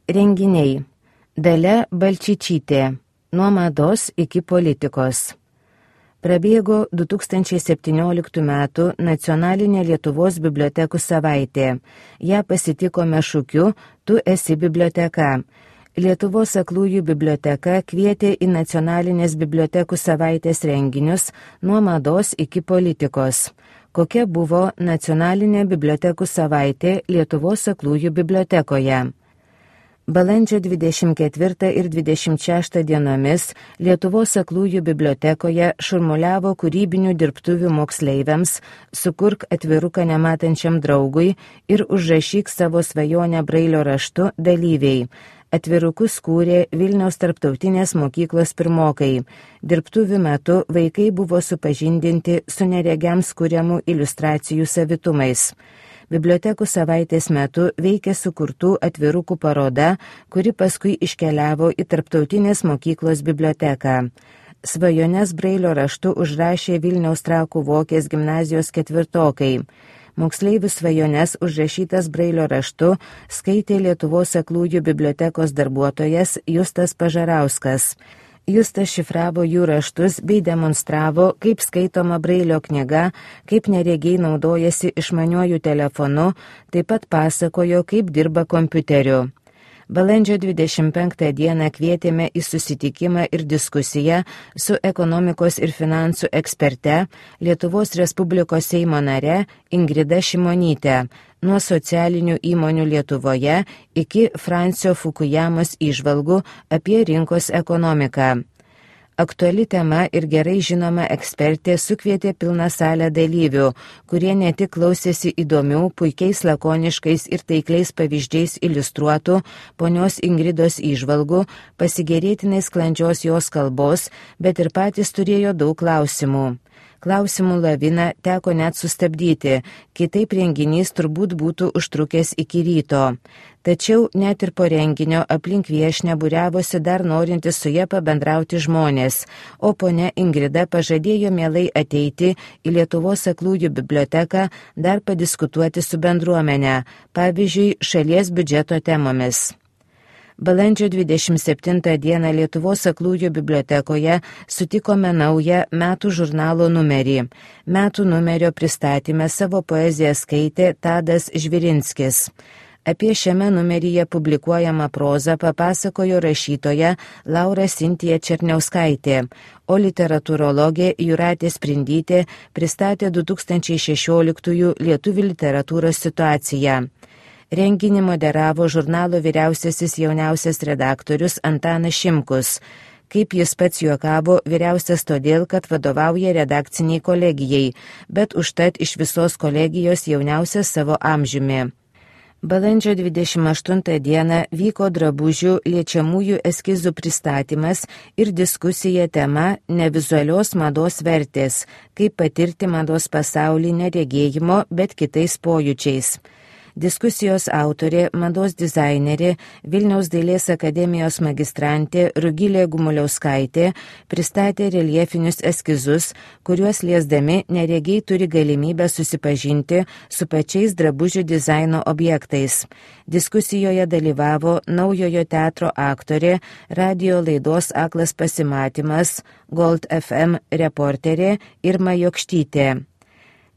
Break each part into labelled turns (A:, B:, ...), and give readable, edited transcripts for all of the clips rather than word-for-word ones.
A: Renginiai. Dalia Balčyčytė. Nuo mados iki politikos. Prabėgo 2017 m. nacionalinė Lietuvos bibliotekų savaitė. Ją pasitikome šūkiu "Tu esi biblioteka". Lietuvos aklųjų biblioteka kvietė į nacionalinės bibliotekų savaitės renginius nuo mados iki politikos. Kokia buvo nacionalinė bibliotekų savaitė Lietuvos aklųjų bibliotekoje? Balandžio 24 ir 26 dienomis Lietuvos aklųjų bibliotekoje šurmuliavo kūrybinių dirbtuvių moksleiviams "Sukurk atviruką nematančiam draugui ir užrašyk savo svajonę brailio raštu" dalyviai. Atvirukus kūrė Vilniaus tarptautinės mokyklos pirmokai. Dirbtuvių metu vaikai buvo supažindinti su neregiams kuriamų iliustracijų savitumais. Bibliotekų savaitės metu veikė sukurtų atvirukų paroda, kuri paskui iškeliavo į tarptautinės mokyklos biblioteką. Svajones brailio raštu užrašė Vilniaus Trakų Vokės gimnazijos ketvirtokai. Moksleivių svajones užrašytas brailio raštu skaitė Lietuvos aklųjų bibliotekos darbuotojas Justas Pažarauskas. Justas šifravo jų raštus bei demonstravo, kaip skaitoma brailio knyga, kaip neregiai naudojasi išmaniuoju telefonu, taip pat pasakojo, kaip dirba kompiuteriu. Balandžio 25 dieną kvietėme į susitikimą ir diskusiją su ekonomikos ir finansų eksperte, Lietuvos Respublikos Seimo nare Ingrida Šimonyte, nuo socialinių įmonių Lietuvoje iki Francio Fukujamos įžvalgų apie rinkos ekonomiką. Aktuali tema ir gerai žinoma ekspertė sukvietė pilną salę dalyvių, kurie ne tik klausėsi įdomių, puikiais lakoniškais ir taikliais pavyzdžiais iliustruotų ponios Ingridos įžvalgų, pasigėrėtinai sklandžios jos kalbos, bet ir patys turėjo daug klausimų. Klausimų laviną teko net sustabdyti, kitaip renginys turbūt būtų užtrukęs iki ryto. Tačiau net ir po renginio aplink viešnią būriavosi dar norintis su ja pabendrauti žmonės, o ponia Ingrida pažadėjo mielai ateiti į Lietuvos aklųjų biblioteką dar padiskutuoti su bendruomene, pavyzdžiui, šalies biudžeto temomis. Balandžio 27 dieną Lietuvos aklųjų bibliotekoje sutikome naują metų žurnalo numerį. Metų numerio pristatyme savo poeziją skaitė Tadas Žvirinskis. Apie šiame numeryje publikuojamą prozą papasakojo rašytoja Laura Sintija Černiauskaitė, o literatūrologė Jūratė Sprindytė pristatė 2016 lietuvių literatūros situaciją. Renginį moderavo žurnalo vyriausiasis jauniausias redaktorius Antanas Šimkus. Kaip jis pats juokavo, vyriausias todėl, kad vadovauja redakciniai kolegijai, bet užtat iš visos kolegijos jauniausias savo amžiumi. Balandžio 28 dieną vyko drabužių liečiamųjų eskizų pristatymas ir diskusija tema "Nevizualios mados vertės - kaip patirti mados pasaulį neregėjimo, bet kitais pojūčiais". Diskusijos autorė, mados dizainerė, Vilniaus dailės akademijos magistrantė Rugilė Gumuliauskaitė pristatė reljefinius eskizus, kuriuos liesdami neregiai turi galimybę susipažinti su pačiais drabužių dizaino objektais. Diskusijoje dalyvavo Naujojo teatro aktorė, radijo laidos Aklas pasimatymas, Gold FM reporterė Irma Jokštytė.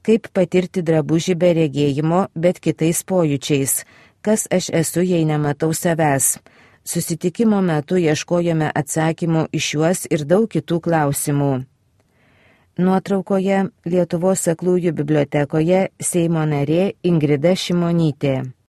A: Kaip patirti drabužį be regėjimo, bet kitais pojūčiais. Kas aš esu, jei nematau savęs? Susitikimo metu ieškojome atsakymų į šiuos ir daug kitų klausimų. Nuotraukoje Lietuvos aklųjų bibliotekoje Seimo narė Ingrida Šimonytė.